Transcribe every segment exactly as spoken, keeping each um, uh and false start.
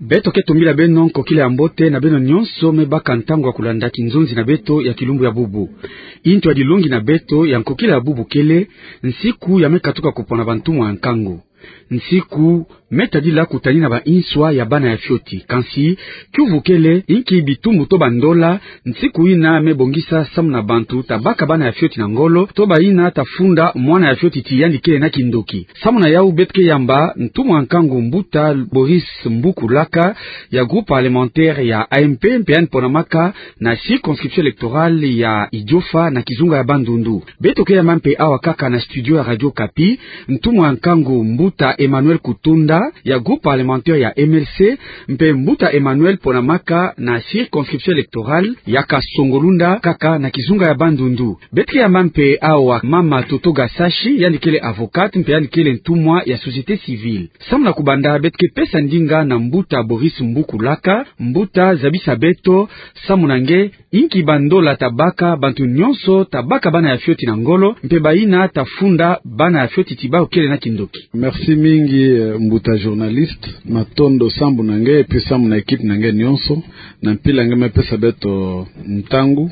Beto ke tumbila beno nkokila ya mbote na beno nyonso me baka ntangu ya kulanda kinzonzi na beto ya kilumbu ya bubu. Intu ya dilongi na beto ya nkokila ya bubu kele: nsiku ya me katuka kupona bantumwa ya nkangu. Nsiku me tadila kutanina ba inswa ya bana ya fioti. Kansi kiuvu kele, inki bitumbu to bandola nsiku yina me bongisa samu na bantu ta baka bana ya fioti na ngolo, to bayina ta funda mwana ya fioti ti yandi kele na kindoki? Samu na yau, beto ke yamba ntumwa ya nkangu mbuta Boris Mbuku Laka, ya groupe parlementaire ya A M P, mpe yandi ponamaka na circonscription électorale ya Idiofa na kizunga ya Bandundu. Beto ke yamba mpe awa kaka na studio ya Radio Okapi ntumwa ya nkangu mbuta Emmanuel Kutunda, ya groupe parlementaire ya M L C, mpe mbuta Emmanuel ponamaka na circonscription électorale ya Kasongo-Lunda, kaka na kizunga ya Bandundu. Beto ke yamba mpe awa mama Toto Gasashi, yandi kele avocate, mpe yandi kele ntumwa ya société civile. Samu na kubanda, beto ke pesa ndinga na mbuta Boris Mbuku Laka. Mbuta, zabisa beto, samu na nge, inki bandola ta baka bantu nyonso ta baka bana ya fioti na ngolo, mpe bayina ta funda bana ya fioti ti bawu kele na kindoki? Merci mingi, eh, mbuta journaliste. Matondo sambu na nge, et puis sambu na équipe na nge nyonso, na mpila nge me pesa beto ntangu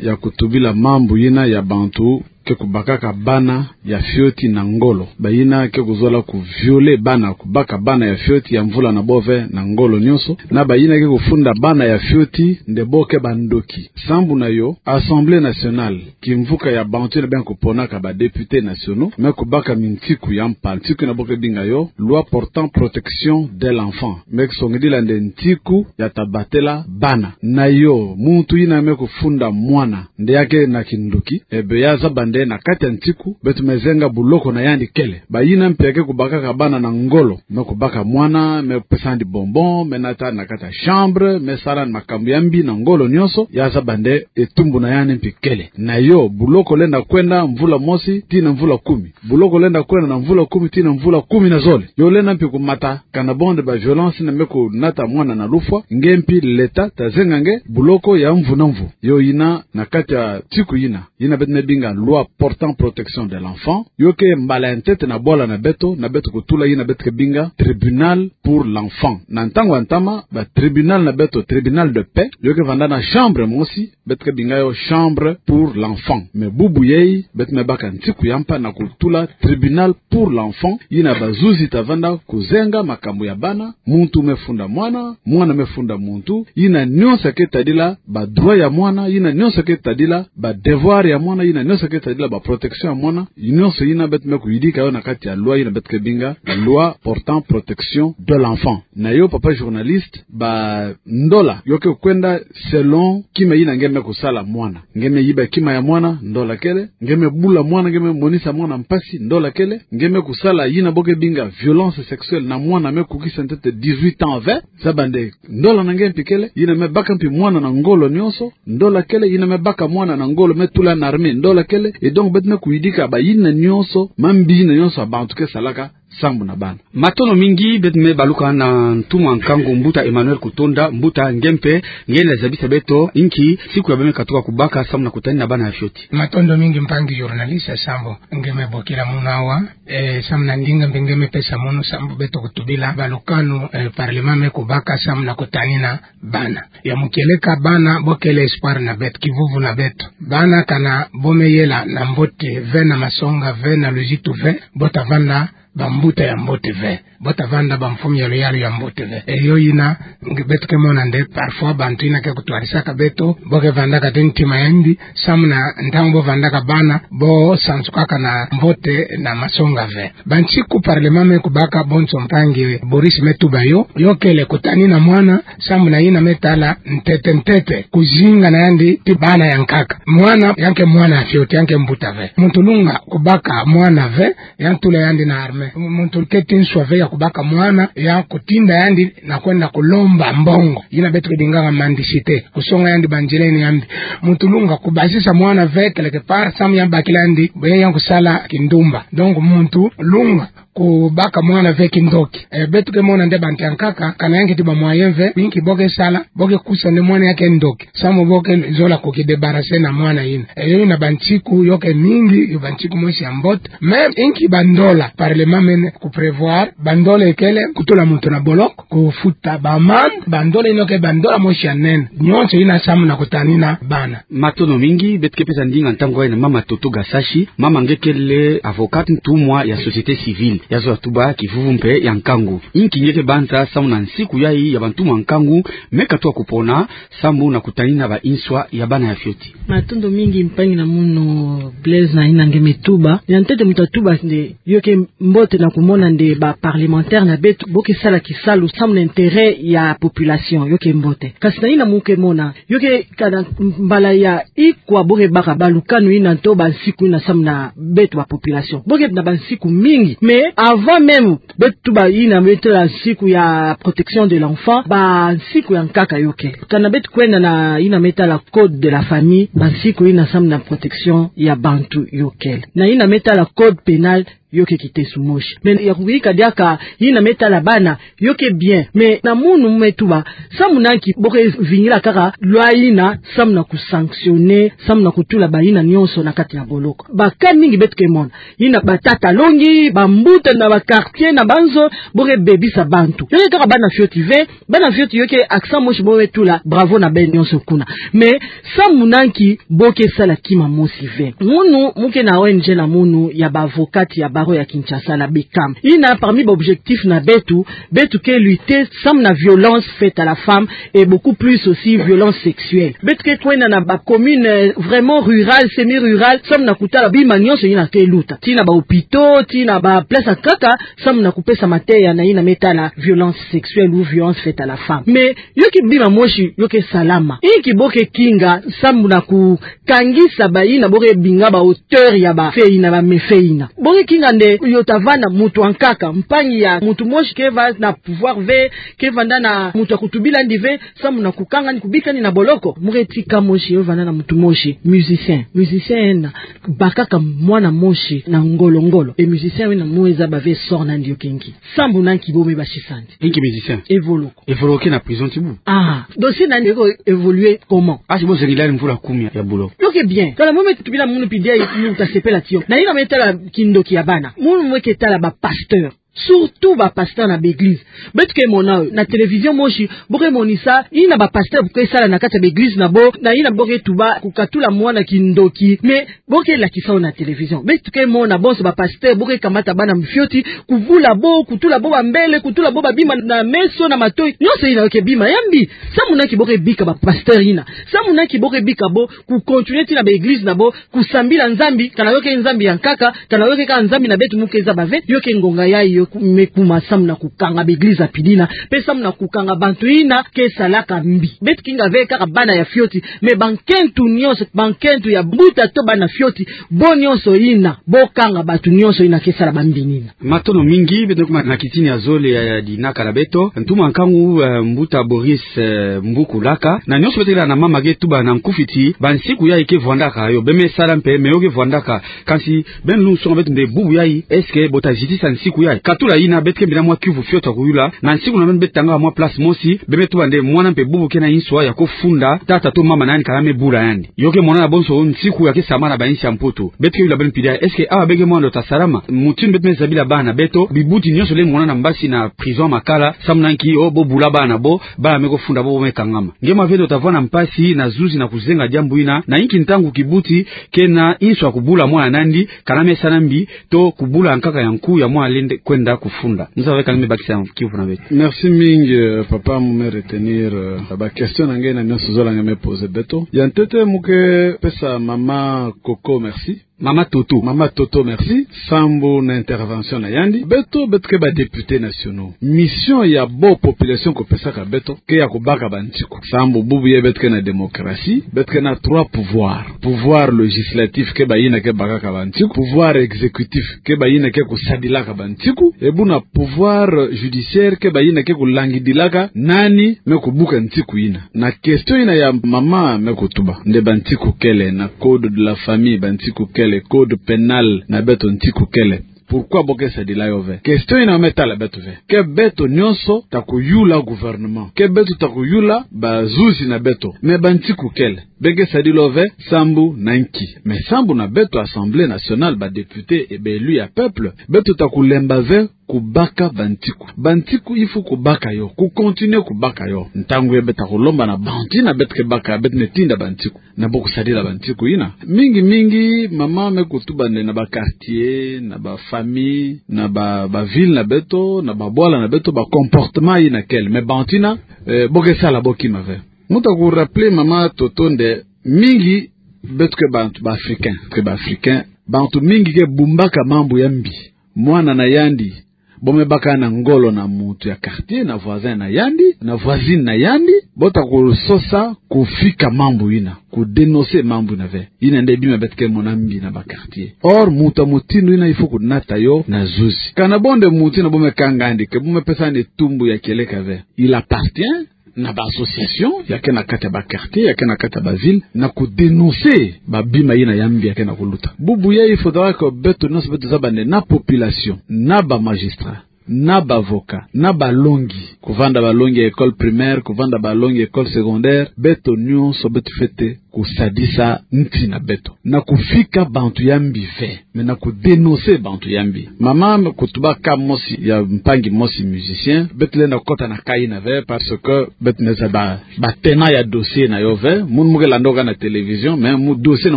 ya kutubila mambu yina ya bantu ke kubakaka bana ya fioti na ngolo. Bayina ke kuzola ku violer bana, kubaka bana ya fioti ya mvula na bo ve na ngolo nyonso, na bayina ke kufunda bana ya fioti nde bo ke bandoki. Sambu na yo, Assemblée nationale, kimvuka ya bantu yina bia kuponaka ba députés nationaux, me kubaka mintiku ya mpa, ntiku yina bo ke binga yo loi portant protection de l'enfant. Me kusongidila nde ntiku ya ta batela bana. Na yo, muntu yina me kufunda mwana nde ya ke na kindoki, eh be ya zaba nde na kati ya ntiku, beto me zenga buloko na yandi kele. Bayina mpe ya ke kubakaka bana na ngolo, me kubaka mwana, me pesa yandi bonbon, me nata na kati ya chambre, me sala makambu ya mbi na ngolo nyonso, ya zaba nde etumbu na yandi mpe kele. Na yo, buloko lenda kwenda mvula mosi tii na mvula kumi. Buloko lenda kwenda na mvula kumi tii na mvula kumi na zole. Yo lenda mpe kumata kana bonde ba violence yina me kunata mwana na lufwa, nge mpe l'État ta zenga nge buloko ya mvu na mvu. Yo yina na kati ya ntiku yina, yina beto me binga loi portant protection de l'enfant, yo ke mbala ya ntete na bwala na beto, na beto kutula yina beto ke binga tribunal pour l'enfant. Na ntangu ya ntama, ba tribunal na beto, tribunal de paix, yo ke vanda na chambre mosi, beto ke binga yo chambre pour l'enfant. Mais bubu yai, beto me baka ntiku ya mpa na kutula tribunal pour l'enfant, yina bazuzi ta vanda kuzenga makambu ya bana, muntu me funda mwana, mwana me funda muntu, yina nyonso ke tadila ba droit ya mwana, yina nyonso ke tadila ba devoir ya mwana, yina nyonso ke tadila ba protection ya mwana, nyonso yina beto me kuyidika yo na kati ya loi yina beto ke binga loi portant protection de l'enfant. Na yo, papa journaliste, ba ndola yo ke kwenda selon kima yina nge me kusala mwana. Nge me yiba kima ya mwana, ndola kele. Nge me bula mwana, nge me monisa mwana mpasi, ndola kele. Nge me kusala yina bo ke binga violence sexuelle na mwana me kukisa ntete dix-huit ans ve, zaba nde ndola na nge mpe kele. Yina me baka mpe mwana na ngolo nyonso, ndola kele. Yina me baka mwana na ngolo me tula na armée, ndola kele. Et donc beto me kuyidika ba yina nyonso, mambi yina nyonso ya bantu ke salaka sambu na bana. Matondo mingi. Beto me baluka na ntumwa nkangu mbuta Emmanuel Kutunda. Mbuta, nge mpe nge lenda zabisa beto inki ntiku ya beno me katuka kubaka sambu na kutanina bana ya fioti? Matondo mingi mpangi journaliste, sambu nge me bokila munu awa, eh, sambu na ndinga mpe nge me pesa munu sambu beto kutubila balukanu, eh, parlement me kubaka sambu na kutanina bana. Ya mukieleka, bana bo kele espoir na beto, kivuvu na beto. Bana kana bo me yela na mbote ve, na masonga ve, na luzitu ve, bo ta vanda bambuta ya mbote ve, bo ta vanda bamfumu ya luyalu ya mbote ve. E yo yina nge beto ke mona nde parfois bantu yina ke kutwarisaka beto, bo ke vandaka ti ntima ya mbi, sambu na ntangu bo vandaka bana, bo sansukaka na mbote na masonga ve. Bansiku parlement me kubaka, bonso mpangi Boris me tuba yo, yo kele kutanina mwana, sambu na yina me tala ntete ntete kuzinga na yandi ti bana ya nkaka. Mwana ya nke mwana ya fioti, ya nke mbuta ve. Muntu lunga kubaka mwana ve, ya ntula yandi na armée. Muntu keti nswa ve ya kubaka mwana, ya kutinda yandi na kwenda kulomba mbongo, yina beto ke bingaka mendicité, kusonga yandi banzileni ya mbi. Muntu lunga kubasisa mwana ve, quelque part, sambu ya bakila yandi, bo ya kusala kindumba. Donc muntu lunga kubaka mwana ve kindoki. E, beto ke mona nde bantu ya nkaka, kana yandi ti ba moyen ve, inki bo ke sala, bo ke kusa nde mwana ya kindoki. Samu bo ke zola ku ki débarrasser na mwana yina. E, yo yina bansiku, yo ke mingi, yo bansiku mosi ya mbote. Même inki bandola, parlement mene ku prévoir, bandola ekele, kutula muntu na boloko, kufuta ba amende, bandola yina ke bandola mosi ya nene. Nyonso yina samu na kutanina bana. Matondo mingi, beto ke pesa ndinga ntangu yayi na mama Toto Gasashi, mama nge kele avocate ntumwa ya société civile, ya zola tuba kivuvu mpe ya nkangu. Inki nge ke banza samu na nsiku yayi ya bantumwa nkangu, me katuka kupona, samu na kutanina ba inswa ya bana ya fioti. Matondo mingi mpangi na munu Blaise na yina nge me tuba. Ya ntete muntu atuba nde yo ke mbote na kumona nde ba parlementaire na beto, bo ke sala kisalu samu na intérêt ya population, yo ke mbote. Kasi na yina mu ke mona, yo ke kana mbala ya ikwa bo ke baka balukanu yina to bansiku yina samu na beto ba population. Bo ke na bansiku mingi. Mais avant même beto tuba yina me tala nsiku ya protection de l'enfant, bansiku ya nkaka yo ke. Kana beto kwenda na yina me tala code de la famille, bansiku yina samu na protection ya bantu yo kele. Na yina me tala code pénal, yo ke kiteso mosi. Mais ya kuyika diaka yina me tala bana, yo ke bien. Mais na munu me tuba, samu na nki bo ke vingila kaka loi yina, samu na ku sanctionner, samu na kutula ba yina nyonso na kati ya boloko. Ba cas mingi beto ke mona. Yina batata longi, bambuta na ba quartier, na banzo, bo ke bebisa bantu. Yo ke kaka bana fioti ve, bana fioti yo ke accent mosi bo ke tula, bravo na beno nyonso kuna. Mais, samu na nki bo ke sala kima mosi ve. Munu, mu ke na O N G na munu, ya ba avocate ya barreau ya Kinshasa na BECAM. Yina parmi ba objectif na beto, beto ke lutter samu na violence faite à la femme et beaucoup plus aussi violence sexuelle. Beto ke kwenda na ba commune, euh, vraiment rurale, semi-rurale, samu na kutala bima nyonso yina ke luta. Tii na ba hôpitaux, tii na ba place ya nkaka, samu na kupesa mateya na yina me tala violence sexuelle ou violence faite à la femme. Mais, yo ke bima mosi, yo ke salama. Inki bo ke kinga, samu na kukangisa ba yina bo ke binga ba auteur ya ba fait yina, ba méfait yina. Bo ke kinga nde yo ta vanda muntu ya nkaka, mpangi ya muntu mosi ke vanda na pouvoir ve, ke vanda na muntu ya kutubila yandi ve, samu na kukanga yandi, kubika yandi na boloko. Mu ke tii cas mosi, yo vanda na muntu mosi, musicien. Musicien yina bakaka mwana mosi na ngolo-ngolo. Et musicien yina mu ke zaba ve sort na yandi yo ke nki. Samu na nki bo me basisa yandi. Inki musicien? Evoloko. Evoloko ke na prison ti bubu. Ah, dossier na yandi eko évoluer comment? Ah, si bo zengila yandi mvula kumi ya bulo. Yo ke bien. Kana mu me tubila munu pide, mu ta sepela ti yo. Na yina me tala kindoki ya bana. Munu mu ke tala ba pasteur. Surtout ba pasteur na ba église. Beto ke mona yo na télévision mosi, bo ke monisa yina ba pasteur bo ke sala na kati ya ba église na bo, na yina bo ke tuba kukatula mwana kindoki. Mais bo ke lakisa yo na télévision. Beto ke mona bonso ba pasteur bo ke kamata bana fioti, kubula bo, kutula bo ba mbele, kutula bo ba bima na meso, na matoyi. Nyonso yina yo ke bima ya mbi. Samu na nki bo ke bika ba pasteur yina? Samu na nki bo ke bika bo ku continuer tii na ba église na bo, kusambila Nzambi, kana yo ke Nzambi ya nkaka, kana yo ke kaka Nzambi na beto mu ke zaba ve, yo ke ngonga yayi yo ku-, me kuma samu na kukanga ba église ya pidina, mpe samu na kukanga bantu yina ke salaka mbi. Beto kinga ve kaka bana ya fioti, mais bankento nyonso, bankento ya mbuta to bana fioti, bo nyonso yina, bo kanga bantu nyonso yina ke sala ba mbi yina. Matondo mingi, beto kuma na kitini ya zole ya, ya dinaka na beto. Ntumwa nkangu, eh, mbuta Boris, eh, Mbuku Laka. Na nyonso beto ke lela na mama ke tuba na nkufi ti, ba nsiku yayi ke vwandaka yo, bie me sala mpe, mais yo ke vwandaka. Kansi, beno lungsonga beto nde bubu yayi, est-ce que bo ta zitisa nsiku yayi? Katula yina, beto kembi na mwa kiuvu fioti ya kuyula, na nsiku na beno beto tangaka mwa place mosi, bie me tuba nde mwana mpe bubu ke na inswa ya kufunda tata to mama na yandi kana me bula yandi. Yo ke mona na bonso nsiku ya ke sambana na ba insi ya Mputu. Beto ke yula beno pide, est-ce que awa beke mwando ta salama? Mutindu beto me zabila bana na beto, bibuti nyonso lenda mona na mbasi na prison Makala, samu na nki? Oh, bo bula bana bo, bana me kofunda bo, bo me kangama. Nge mwa ve nde ota vwanda mpasi na zuzi na kuzenga diambu yina, na inki ntangu kibuti ke na inswa kubula mwana na yandi, kana me sala mbi, to kubula nkaka ya nku ya mwana lenda kwenda kufunda. Nzambi kani me bakisa kiuvu na beto. Merci mingi, euh, papa, mu me retenir, euh, ba question na nge na nyonso zola nge me poser beto. Ya ntete mu ke pesa mama Coco merci. Mama Toto. Mama Toto, merci. Sambu na intervention na yandi. Beto, beto ke ba députés nationaux. Mission ya bo population kopesaka beto, ke ya kubaka ba nsiku. Sambu bubu yayi beto ke na démocratie, beto ke na trois pouvoirs. Pouvoir législatif ke bayina ke bakaka ba nsiku. Pouvoir exécutif ke bayina ke kusadilaka ba nsiku. E buna pouvoir judiciaire ke bayina ke kulangidilaka nani me kubuka nsiku yina. Na question yina ya mama me kutuba. Nde ba nsiku kele, na code de la famille ba nsiku kele, code pénal na beto nsiku kele. Pourquoi bo ke sadila yo ve? Question ina me tala beto ve. Ke beto nyonso ta kuyula gouvernement. Ke beto ta kuyula bazuzi na beto. Mais bantiku kele. Be ke sadila yo ve, sambu na nki? Mais sambu na beto Assemblée nationale, ba députés et ba élus ya peuple, beto ta kulemba ve kubaka bantiku. Bantiku il faut kubaka yo, ku continuer kubaka yo. Ntangu ye beto ta kulomba na bantu ina beto ke baka, beto me tinda bantiku. Na bo kusadila bantiku ina. Mingi mingi, mama me kutuba nde na ba quartier, na ba famille, na ba, ba ville na beto, na ba bwala na beto, ba comportement ina kele. Mais bantu ina, eh, bo ke sala bo kima ve. Mu ta ku rappeler mama Toto nde mingi beto ke bantu ba Africain, ke ba Africain, bantu mingi ke bumbaka mambu ya mbi. Mwana na yandi, bo me baka na ngolo na muntu ya quartier, na voisin na yandi, na voisine na yandi, bo ta kusosa kufika mambu ina, ku dénoncer mambu ina ve. Ina nde bima beto ke mona mbi na ba quartier. Or, muntu ya mutindu ina il faut kunata yo na zuzi. Kana bo nde muntu ina bo me kanga yandi, ke bo me pesa yandi tumbu ya kieleka ve. Il appartient na ba association ya ke na kati ya ba quartier, ya ke na kati ya ba ville, na ku dénoncer ba bima ina ya mbi ya ke na kuluta. Bubu yayi, il faudra que beto nyonso beto zaba nde na population, na ba magistrat, na ba avocat, na balongi, kuvanda balongi ya école primaire, kuvanda balongi ya école secondaire, beto nyonso beto fwete kusadisa nti na beto. Na kufika bantu ya mbi ve, mais na ku dénoncer bantu ya mbi. Mama me kutuba cas mosi ya mpangi mosi musicien, beto lenda kota na cas ina ve, parce que beto me zaba ba tenants ya dossier na yo ve. Munu mu ke landa yo kaka na télévision, mais mu dossier na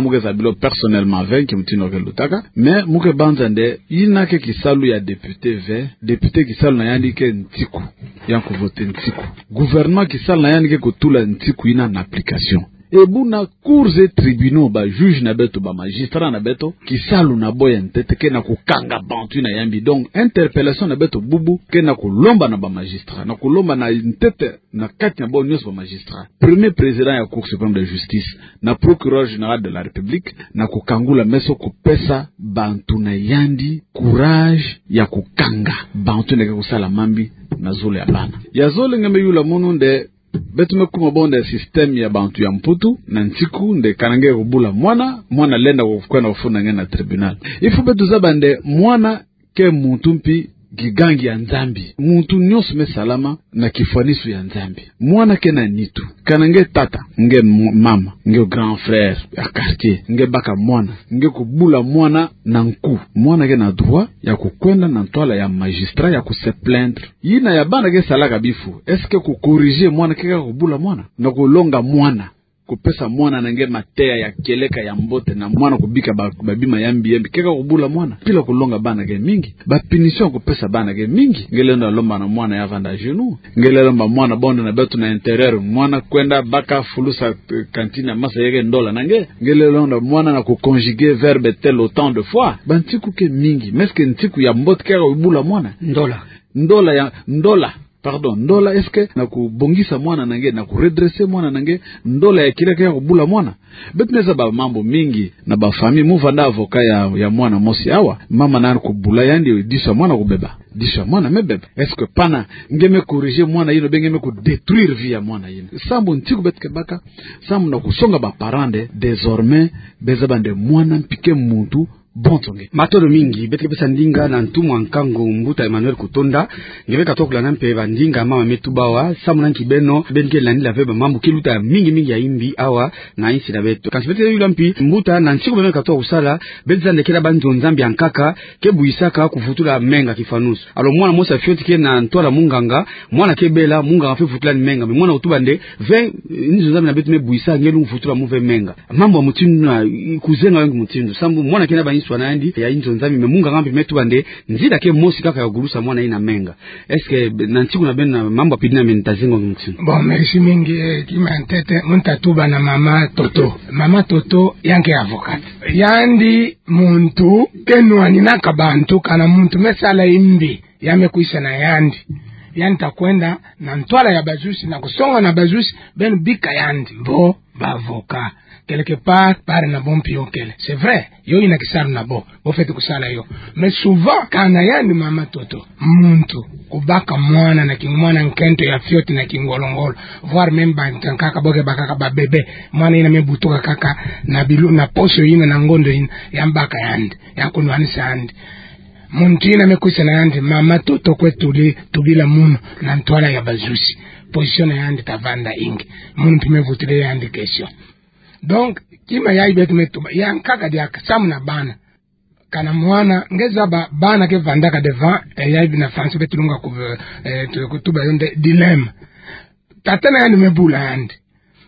mu ke zabila yo personnellement ve, nki mutindu ke lutaka. Mais mu ke banza nde, ina ke kisalu ya député ve, député kisalu na yandi ke ntiku, ya kuvoter ntiku. Gouvernement kisalu na yandi ke kutula ntiku ina na application. E buna cours et tribunaux, ba juge na beto, ba magistrat na beto, kisalu na bo ya ntete ke na kukanga bantu ina ya mbi. Donc, interpellation na beto bubu ke na kulomba na ba magistrat, na kulomba na ntete na kati na bo nyonso ba magistrat, premier président ya Cour suprême de justice, na procureur général de la République, na kukangula meso, kupesa bantu na yandi courage ya kukanga bantu ina ke kusala mambi na zulu ya bana. Ya zole nge me yula munu nde, beto me kuma bo nde système ya bantu ya Mputu, na ntiku nde kana nge kubula mwana, mwana lenda ku-, kwenda kufunda nge na tribunal. Il faut beto zaba nde mwana ke muntu mpi gigangi ya Nzambi. Muntu nyonso me salama na kifwanisu ya Nzambi. Mwana ke na nitu. Kana nge tata, nge m-, mama, nge grand frère ya quartier, nge baka mwana, nge kubula mwana na nku, mwana ke na droit ya kukwenda na ntwala ya magistrat ya ku se plaindre. Ina ya bana ke salaka bifu, est-ce que ku corriger mwana ke kaka kubula mwana? Na kulonga mwana, kupesa mwana na nge mateya ya kieleka ya mbote, na mwana kubika ba, ba bima ya mbi ya mbi, ke kaka kubula mwana? Pila kulonga bana ke mingi, ba punition kupesa bana ke mingi. Nge lenda lomba na mwana ya vanda à genoux. Nge lenda lomba mwana bo nde na beto na intérieur, mwana kwenda baka fulusa, eh, cantine ya masa ya ke ndola na nge. Nge lenda lomba mwana na ku conjuguer verbe tel autant de fois. Bantiku ke mingi. Mais est-ce que ntiku ya mbote ke kaka kubula mwana? Ndola. Ndola ya, ndola. Pardon, ndola, est-ce que na kubongisa mwana na nge, na ku redresser mwana na nge, ndola ya kieleka ke kaka kubula mwana? Beto me zaba mambu mingi na ba famille. Mu vanda avocat ya, ya mwana mosi awa, mama na yandi kubula yandi, disu ya mwana kubeba. Disu ya mwana me beba. Est-ce que pana nge me corriger mwana yina, ou bien nge me ku détruire vie ya mwana yina? Sambu ntiku beto ke baka, sambu na kusonga ba parents nde, désormais, be zaba nde mwana mpi ke muntu bonso nge. Matondo mingi. Beto ke pesa ndinga na ntumwa nkangu mbuta Emmanuel Kutonda. Nge beka toko landa mpe ba ndinga mama me tuba awa, samu na nki beno, beno ke landila ve ba mambu ke luta mingi mingi ya imbi awa na insi na beto. Kansi beto ke yula mpi, mbuta, na ntiku beno ke katuka kusala, beto zaba nde kena ba nzo Nzambi ya nkaka ke buisaka kuvutula menga kifwanusu. Alors mwana mosi ya fioti ke na ntwala munganga, mwana ke bela, munganga fwete vutula ni menga. Mais mwana kutuba nde, ve, eh, nzo Nzambi na beto me buisa, nge lungu vutula mu ve menga. Mambu ya mutindu na, i-, kuzenga yo nki mutindu? Sambu mwana ke na ba nswa na yandi ya nzo Nzambi, mais munganga mpe me tuba nde nzila ke mosi kaka ya kugulusa mwana yina menga. Est-ce que na ntiku na beno na mambu ya pili na meno ta zenga yo nki mutindu? Bon, merci mingi, eh, kima ntete, mu nta tuba na mama Toto. Mama Toto, yandi ke avocate. Yandi muntu ke nwaninaka bantu, kana muntu me sala imbi, ya me kwisa na yandi, yandi ta kwenda na ntwala ya bazuzi, na kusonga na bazuzi, beno bika yandi. Bon, ba avocats, quelque part, bari na bo mpi yo kele. C'est vrai, yo yina kisalu na bo, bo fwete kusala yo. Mais souvent, kana yandi mama Toto, muntu kubaka mwana na ki-, mwana nkento ya fioti na kingolongolo, voire même ba nkaka bo ke bakaka ba bébé, mwana yina me butuka kaka na bilu-, na poso yina, na ngondo yina, ya mbaka yandi, ya kunwanisa yandi. Muntu yina me kwisa na yandi: Mama, toto kwe tuli tubila munu na ntwala ya bazuzi. Position na yandi tavanda inki? Munu mpe me vutila yandi question. Donc, kima yayi beto me tuba, ya nkaka diaka, samu na bana. Kana mwana, nge zaba bana ke vandaka devant, eh, yayi bina français beto lunga ku, eh, tu-, kutuba yo nde dilemme. Tata na yandi me bula yandi.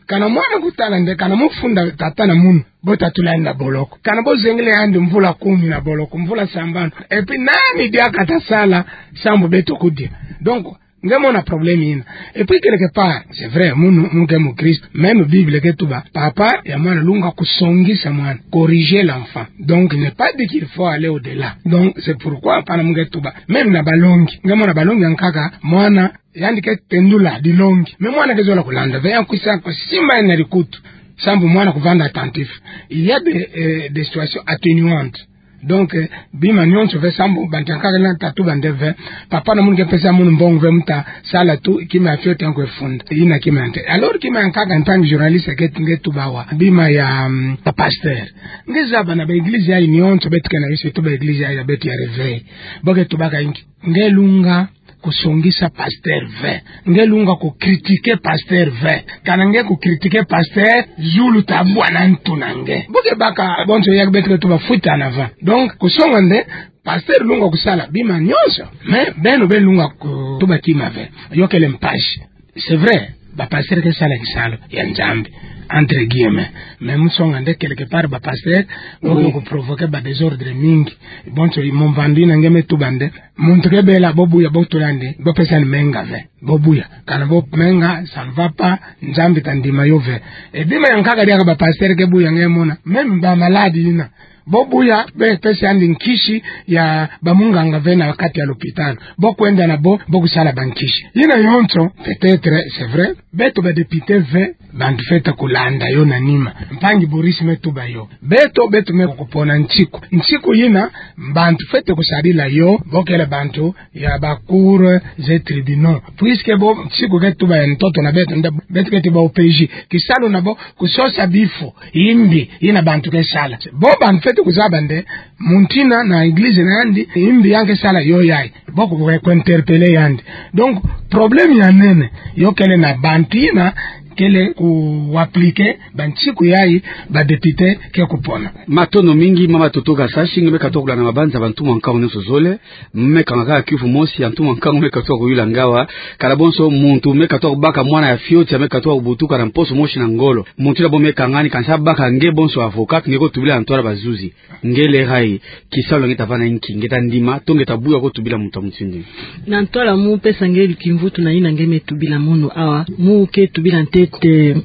Kana mwana kutala nde, kana mu funda tata na munu, bo tatula yandi na boloko. Kana bo zengele yandi mvula kumi na boloko, mvula sambanu. Et puis nani diaka atasala sambu beto kudia? Donc, nge mona problème yina. Et puis quelque part, c'est vrai, munu, mu nge mukristo, même Bible ke tuba, papa ya mwana lunga kusongisa mwana, corriger l'enfant. Donc, il n'est pas dit qu'il faut aller au-delà. Donc, c'est pourquoi, pana mu nge tuba, même na balongi, nge mona balongi ya nkaka, mwana, yandi ke tendula dilongi. Mais mwana ke zola kulanda ve, ya kwisa kusimba yandi na dikutu. Sambu mwana kuvanda attentif. Il y a des, euh, des situations atténuantes. Donc, euh, bima nyonso ve sambu bantu ya nkaka na tatuba nde ve, papa na munu ke pesa munu mbongo ve mu tasala tu, kima ya fioti ya nkwe funda. Yina kima ya nte. Alors kima ya nkaka, en tant que journaliste, ke nge tuba awa, bima ya, hum, ba pasteur. Nge zaba na ba église yayi nyonso beto ke na yo, surtout ba église yayi ya beto ya réveil, bo ke tubaka inki? Nge lunga kusongisa pasteur ve. Nge lunga kucritiquer pasteur ve. Kana nge kucritiquer pasteur, zulu tabwa na ntu na nge. Bo ke baka bonso ya beto ke tuba fuite en avant. Donc, kusonga nde, pasteur lunga kusala bima nyonso. Mais beno be lunga kutuba kima ve. Yo kele mpasi. C'est vrai, ba pasteur ke sala kisalu ya Nzambi, entre guillemets. Mais mu songa nde quelque part ba pasteur, oui, bo ke kuprovoquer ba désordre mingi. Bonso mu mvandu yina nge me tuba nde, muntu ke bela bo buya, bo tula nde, bo pesa yandi menga ve. Bo buya. Kana bo menga, ça ne va pas, Nzambi ta ndima yo ve. Et bima ya nkaka diaka ba pasteur ke buya nge mona. Même ba malade yina, bo buya, be pesa yandi nkisi ya ba munganga ve na kati ya lopitalo. Bo kwenda na bo, bo kusala ba nkisi. Yina yonso, peut-être, c'est vrai, beto ba député ve, bantu fwete kulanda yo na nima. Mpangi Boris me tuba yo. Beto, beto me kupona nsiku. Nsiku yina, bantu fwete kusadila yo, bo kele bantu ya ba cours et tribunaux. Puisque bo, nsiku ke tuba ya ntoto na beto, nde beto ke ti ba O P J. Kisalu na bo, kusosa bifu yimbi yina bantu ke sala. Bo bantu fwete kuzaba nde, muntu yina na église na yandi, yimbi yandi ke sala yo yayi. Bo ku, ku interpeller yandi. Donc, problème ya nene, yo kele na bantu yina kele ku appliquer ba nsiku yayi ba député ke kupona. Matondo mingi, mama Toto Kasasi, nge me katuka kulanda mabanza ya bantu mwa nkangu nyonso zole, me kangaka kiuvu mosi ya ntu mwa nkangu me katuka kuyula nga awa, kala bonso muntu me katuka kubaka mwana ya fioti ya me katuka kubutuka na mposo mosi na ngolo. Muntu yina bo me kangani, kansi abaka nge bonso avocat, nge kotubila na ntwala bazuzi. Nge lerayi, kisalu na nge tavana inki, nge ta ndima, to nge ta buya kotubila muntu ya mutindu? Na ntwala mu pesa nge kimvutu na yina nge me tubila munu awa, mu ke tubila ntete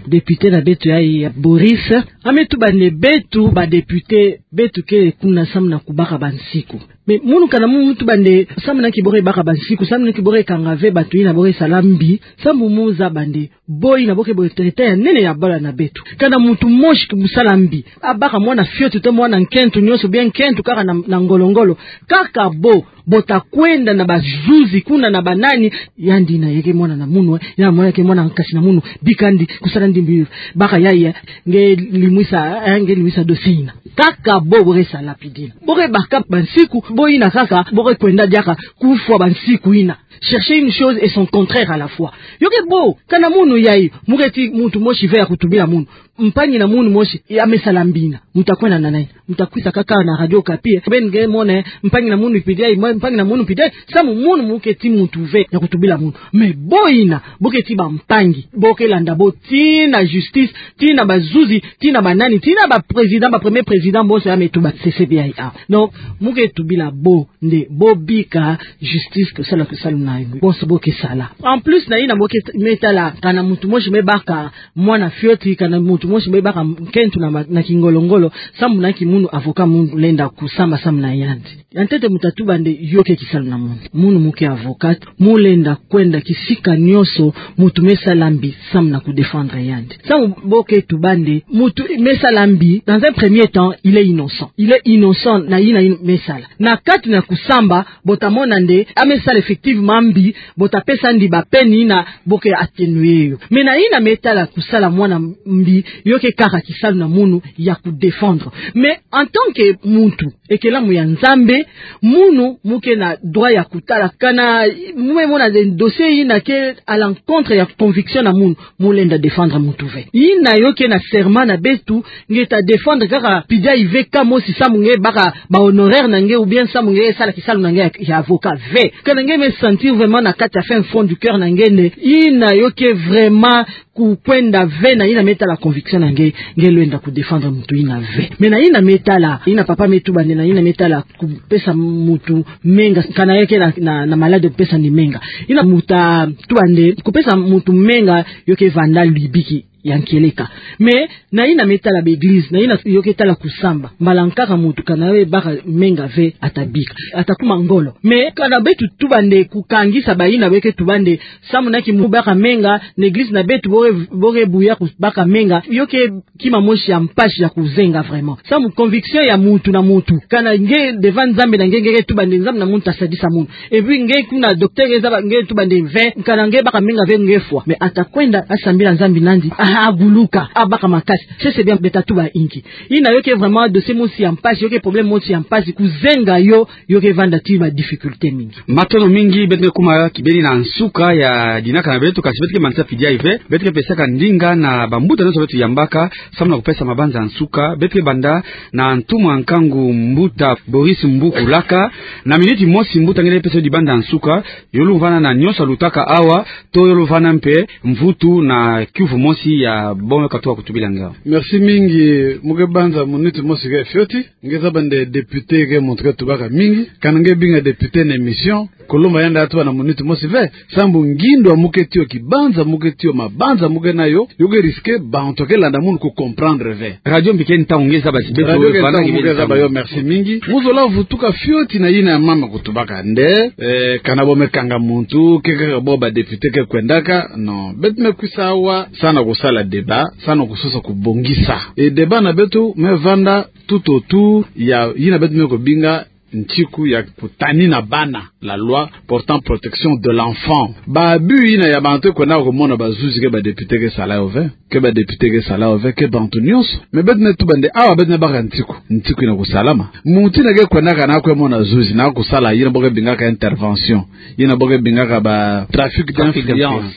député na beto yayi ya Boris. A me tuba nde beto ba député, beto ke kuna samu na kubaka ba nsiku. Mais munu kana mu, mu tuba nde samu na nki bo ke baka ba nsiku, samu na nki bo ke kanga ve bantu yina bo ke sala mbi, samu mu zaba nde bo yina bo ke bo traître ya nene ya bala na beto. Kana muntu mosi ke musala mbi, abaka mwana fioti to mwana nkento nyonso, bien nkento kaka na, na ngolo-ngolo. Kaka bo, bo ta kwenda na bazuzi kuna na banani, yandi yina ye ke mwana na munu, eh, ya mwana ke mwana nkasi na munu, bikandi, kusala ndi mbi, baka yayi, eh, nge limwisa, eh, nge limwisa dossier yina. Kaka bo, bo ke sala pi dina. Bo ke baka ba nsiku, bo yina kaka, bo ke kwenda diaka kufwa ba nsiku yina. Chercher une chose et son contraire à la fois. Yo ke bo, kana munu yayi, mu ke ti muntu mosi ve ya kutubila munu. Mpangi na munu mosi, ya me sala mbi yina. Mu ta kwenda na nani? Mu ta kwisa kaka na Radio Okapi, eh. Beno nge mona, eh, mpangi na munu mpidi yayi, mpangi na munu mpidi yayi. Samu munu mu ke ti muntu ve ya kutubila munu. Mais bo yina, bo ke ti ba mpangi. Bo ke landa bo tii na justice, tii na bazuzi, tii na banani, tii na ba président, ba premier président, bonso ya me tuba C C B I A. Donc, mu ke tubila bo nde bo bika justice, kusala kisalu na yo bonso bo ke sala. En plus na yina bo ke me tala, kana muntu mosi me baka mwana fioti, kana muntu mosi me baka nkento na ma-, na kingolo-ngolo, samu na nki munu avocat mu lenda kusamba samu na yandi? Ya ntete mu ta tuba nde yo ke kisalu na munu. Munu mu ke avocat, mu lenda kwenda kisika nyonso muntu me sala mbi samu na kudéfendre yandi. Samu bo ke tuba nde muntu me sala mbi, dans un premier temps, il est innocent. Il est innocent na yina, yina me sala. Na kati na kusamba, bo ta mona nde a me sala effectivement mambi, bo ta pesa ndi ba peine yina bo ke atténuer yo. Mais na yina me tala kusala mwana mbi, yo ke kaka kisalu na munu ya ku défendre. Mais en tant que muntu, ekelamu ya Nzambe, munu mu ke na droit ya kutala kana mu me mona de dossier yina ke à l'encontre ya conviction na munu, mu lenda défendre muntu ve. Yina yo ke na serment na beto, nge ta défendre kaka P D I V kaka mosi samu nge baka ba honoraire na nge ou bien samu nge sala kisalu na nge ya, ya avocat ve. Kana nge me sentir vraiment na kati ya fin fond du cœur na nge nde yina yo ke vraiment kukwenda ve na yina me tala conviction na nge, nge lenda ku défendre muntu yina ve. Mais na yina me tala, yina papa me tuba nde na yina me tala kupesa muntu menga, kana yo ke na, na, na malade kupesa ni menga. Yina mu ta tuba nde kupesa muntu menga yo ke vanda libiki ya nkieleka. Mais na yina me tala ba église, na yina yo ke tala kusamba, mbala nkaka muntu kana yo baka menga ve ata bika, ata kuma ngolo. Mais kana beto tuba nde kukangisa ba yina be ke tuba nde samu na ki mu baka menga, na église na beto bo ke, bo ke buya ku baka menga, yo ke kima mosi ya mpasi ya kuzenga vraiment. Samu conviction ya muntu na muntu. Kana nge devant Nzambe na nge, nge ke tuba nde Nzambe na munu ta sadisa munu. Et puis nge kuna docteur nge zaba nge tuba nde ve, kana nge baka menga ve nge fwa. Mais ata kwenda asambila Nzambi na ndi, aha, aguluka, abaka makasi. C'est, c'est bien, beto ta tuba inki. Yina yo ke vraiment dossier mosi ya mpasi, yo ke problème mosi ya mpasi, kuzenga yo, yo ke vanda ti ba difficulté mingi. Matondo mingi, beto ke kuma kibeni na nsuka ya dinaka na beto, kasi beto ke manisa P D I V, beto ke pesaka ndinga na bambuta nyonso beto yambaka, samu na kupesa mabanza ya nsuka, beto ke banda na ntumwa ya nkangu mbuta Boris Mbuku Laka, na miniti mosi mbuta nge pesa yo dibanza ya nsuka, yo luvana na nyonso lutaka awa, to yo luvana mpe mvutu na kiuvu mosi ya bo me katuka kutubila nge awa. Merci mingi, mu ke banza miniti mosi ke fioti. Nge zaba nde député ke muntu ke tubaka mingi, kana nge binga député na émission, kuluma yandi atuba na miniti mosi ve, sambu ngindo mu ke tiyo, kibanza mu ke tiyo, mabanza mu ke nayo, yo ke risquer bantu ke landa munu ku comprendre ve. Radio mbi ke ntangu nge zaba si beto radio ke vana ntangu mu ke zaba yo, merci mingi. Mu zola vutuka fioti na yina ya mama kutubaka nde, eh, kana bo me kanga muntu, ke, ke, bo ba député ke kwendaka, non. Beto me kwisa awa, samu na kusala débat, samu na kusosa kubongisa. E débat na beto me vanda tout autour ya yina beto me kubinga nsiku ya kutanina bana, la loi portant protection de l'enfant. Ba abus yina ya bantu kwenda kumona ba juge ke ba député ke sala yo ve, ke ba député ke sala yo ve, ke bantu nyonso. Mais beto me tuba nde awa beto me baka nsiku, nsiku yina kusalama. Muntu yina ke kwendaka na kwe mona juge na kusala yina bo ke bingaka intervention, yina bo ke bingaka ba trafic d'influence.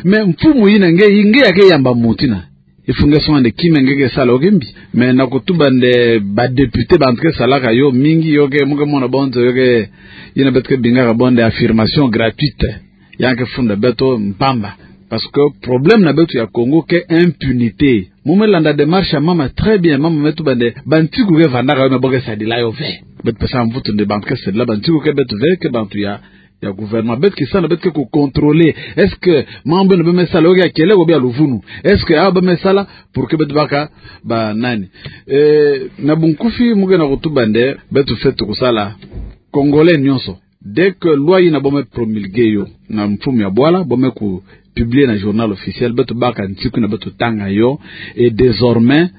Mais mfumu yina nge, nge ya ke yamba muntu yina, il faut nge songa nde kima nge ke sala yo ke mbi. Mais na kutuba nde ba député bantu ke salaka yo mingi, yo ke, mu ke mona bo nzo yo ke, yina beto ke bingaka bo nde affirmation gratuite. Ya ke funda beto mpamba. Parce que problème na beto ya Congo ke impunité. Mu me landa démarche ya mama très bien, mama me tuba nde ba nsiku ke vandaka yo me bo ke sadila yo ve. Beto pesa mvutu nde bantu ke sadila ba nsiku ke beto ve, ke bantu ya ya gouvernement. Beto kisana, beto ke ku contrôler. Est-ce que mambu yina be me sala yo ke ya kieleka ou bien ya luvunu? Est-ce que awa be me sala pour que beto baka ba nani? Eh, na bunkufi mu ke na kutuba nde, beto fweti kusala. Congolais nyonso. Dès que loi yina bo me promulguer yo na mfumu ya bwala, bo me ku publier na Journal Officiel, beto baka nsiku yina beto tanga yo, et désormais,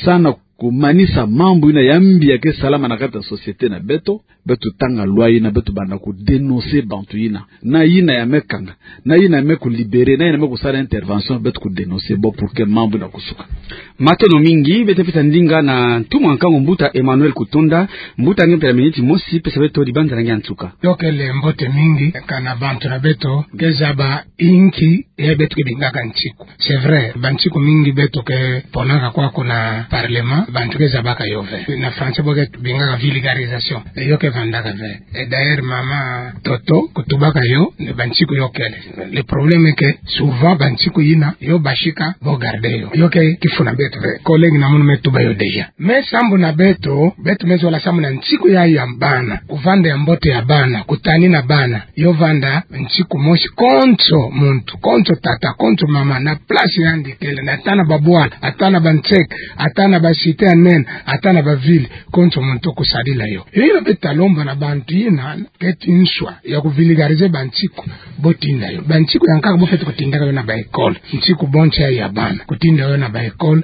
samu na kumanisa mambu yina ya mbi ya ke salama na kati ya société na beto, beto tanga loi yina, beto banda ku dénoncer bantu yina. Na yina ya me kanga, na yina ya me ku libérer, na yina ya me kusala intervention, beto ku dénoncer bo pour que mambu yina kusuka. Matondo mingi, beto pesa ndinga na ntumwa nkangu mbuta Emmanuel Kutunda, mbuta nge mpe na miniti mosi, pesa beto dibanza na nge ya nsuka. Yo kele mbote mingi, kana bantu na beto ke zaba inki ya beto ke bingaka nsiku. C'est vrai, ba nsiku mingi beto ke ponaka kwaku na parlement, bantu ke zabaka yo ve. Na français bo ke bingaka vulgarisation. E yo ke vandaka ve. Et d'ailleurs, mama Toto kutubaka yo, nde ba nsiku yo kele. Le problème est que souvent ba nsiku yina, yo basika bo garder yo. Yo ke kifu na beto ve. Collègue na munu me tuba yo déjà. Mais sambu na beto, beto me zola sambu na nsiku ya, ya bana. Kuvanda ya mbote ya bana, kutanina bana. Yo vanda nsiku mosi konso muntu, konso tata, konso mama, na place yandi kele, na ata na ba bwala, ata na ba nseke, ata na ba cité ya nene, ata na ba ville, konso muntu kusadila yo. Yo yina beto lomba na bantu yina keti nswa ya ku vulgariser bansiku bo tinda yo. Bansiku ya nkaka bo fwete kutindaka yo na ba école. Nsiku bo ntia ya bana. Kutinda yo na ba école.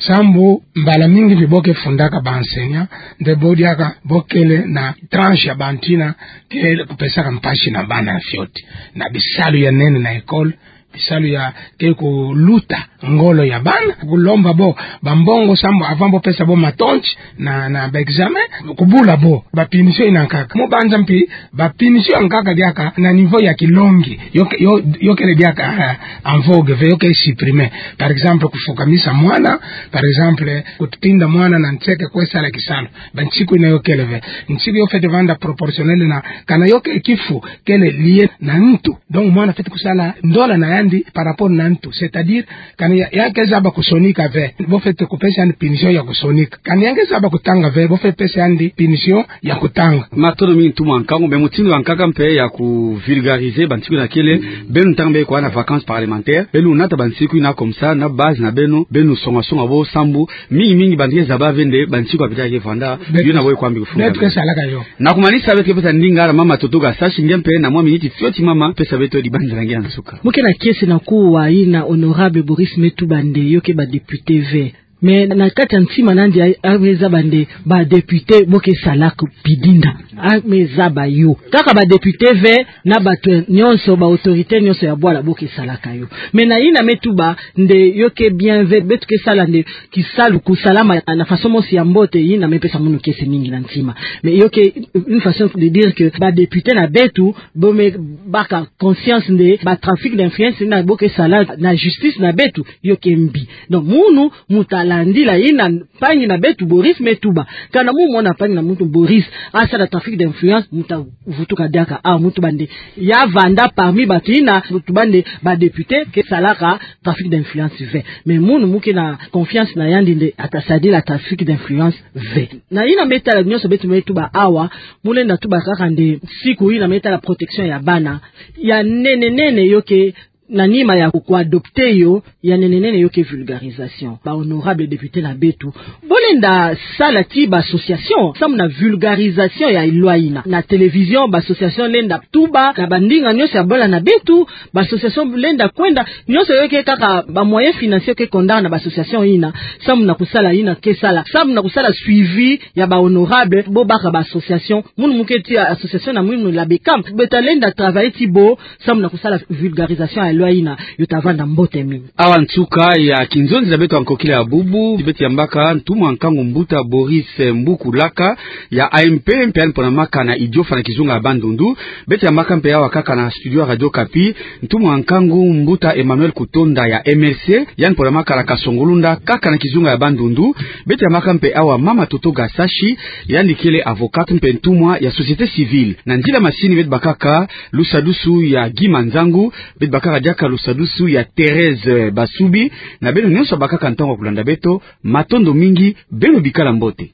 Sambu mbala mingi mpi bo ke fundaka ba enseignants, nde bo diaka bo kele na tranche ya bantu yina kele kupesaka mpasi na bana fioti. Na bisalu ya nene na école, bisalu ya ke kuluta ngolo ya bana, kulomba bo ba mbongo sambu avant bo pesa bo matonti na, na ba examen, kubula bo, ba punition yina nkaka. Mu banza mpi, ba punition ya nkaka diaka na niveau ya kilongi, yo ke-, yo, yo kele diaka, eh, en vogue ve, yo ke supprimer. Par exemple, kufukamisa mwana, par exemple, kutinda mwana na nseke kwe sala kisalu. Bansiku yina yo kele ve. Nsiku yo fwete vanda proportionnel na, kana yo ke kifu, kele lié na ntu. Donc, mwana fwete kusala ndola na yandi par rapport na ntu. C'est-à-dire, kana ya, ya ke zaba kusonika ve, bo fwete kupesa yandi punition ya kusonika. Kana ya ke zaba kutanga ve, bo fwete pesa yandi punition ya kutanga. Matondo mingi ntumwa nkangu, mais mutindu ya nkaka mpe ya ku vulgariser bansiku yina kele, beno ntangwa mpe kwa na vacances parlementaires, beno nata bansiku yina comme ça, na base na beno, beno songa-songa bo sambu, mingi mingi bantu ke zaba ve nde bansiku ya pita ke vanda, beto, yo na bo kwa mbi kufunga. Beto ke salaka yo. Na kumanisa beto ke pesa ndinga na mama Toto Gasashi, nge mpe na mwa miniti fioti mama, pesa beto dibanza na nge ya nsuka. Mu ke na kiese na kuwa yina honorable Boris me tuba nde yo ke ba député ve. Mais na kati ya ntima na yandi a-, ame zaba nde ba député bo ke salaka pidinda. Ame zaba yo. Kaka ba député ve, na bantu nyonso, ba autorités nyonso ya bwala bo ke salaka yo. Mais na yina me tuba nde yo ke bien ve, beto ke sala nde kisalu kusalama na façon mosi ya mbote, yina me pesa munu kiese mingi na ntima. Mais yo ke une façon de dire que ba député na beto, bo me baka conscience nde ba trafic d'influence yina bo ke sala na justice na beto, yo ke mbi. Donc, munu mu ta landila yina mpangi na beto Boris me tuba. Kana mu mona mpangi na muntu Boris asala trafic d'influence, mu ta vutuka diaka, ah, mu tuba nde ya vanda parmi bantu yina mu tuba nde ba député ke salaka trafic d'influence ve. Mais munu mu ke na confiance na yandi nde ata sadila trafic d'influence ve. Na yina me tala nyonso beto me tuba awa, mu lenda tuba kaka nde siku yina me tala protection ya bana, ya nene nene yo ke na nima ya ku, ku adopter yo, ya nene nene yo ke vulgarisation. Ba honorable député na beto, bo lenda sala ti ba association samu na vulgarisation ya loi yina. Na télévision, ba association lenda tuba, na ba ndinga nyonso ya bwala na beto, ba association lenda kwenda, nyonso yo ke kaka ba moyens financiers ke konda na ba association yina, samu na kusala yina ke sala, samu na kusala suivi ya ba honorable, bo baka ba association, munu mu ke ti association na munu la BECAM, beto lenda travailler ti bo, samu na kusala vulgarisation ya loi yina, yo ta vanda mbote mingi. Awa nsuka ya kinzonzi na beto ya nkokila ya bubu, beto yambaka ntumwa nkangu mbuta Boris Mbuku Laka ya A M P, mpe yandi ponamaka na Idiofa na kizunga ya Bandundu. Beto yambaka mpe awa kaka na studio ya Radio Okapi ntumwa nkangu mbuta Emmanuel Kutonda ya M L C, yandi ponamaka na Kasongolunda kaka na kizunga ya Bandundu. Beto yambaka mpe awa mama Toto Gasashi, yandi kele avocate mpe ntumwa ya société civile. Na nzila masini beto bakaka lusadusu ya Guy Manzangu, beto bakaka diaka lusadusu ya Thérèse Basubi. Na beno nyonso bakaka ntangu ya kulanda beto, matondo mingi, beno bikala mbote.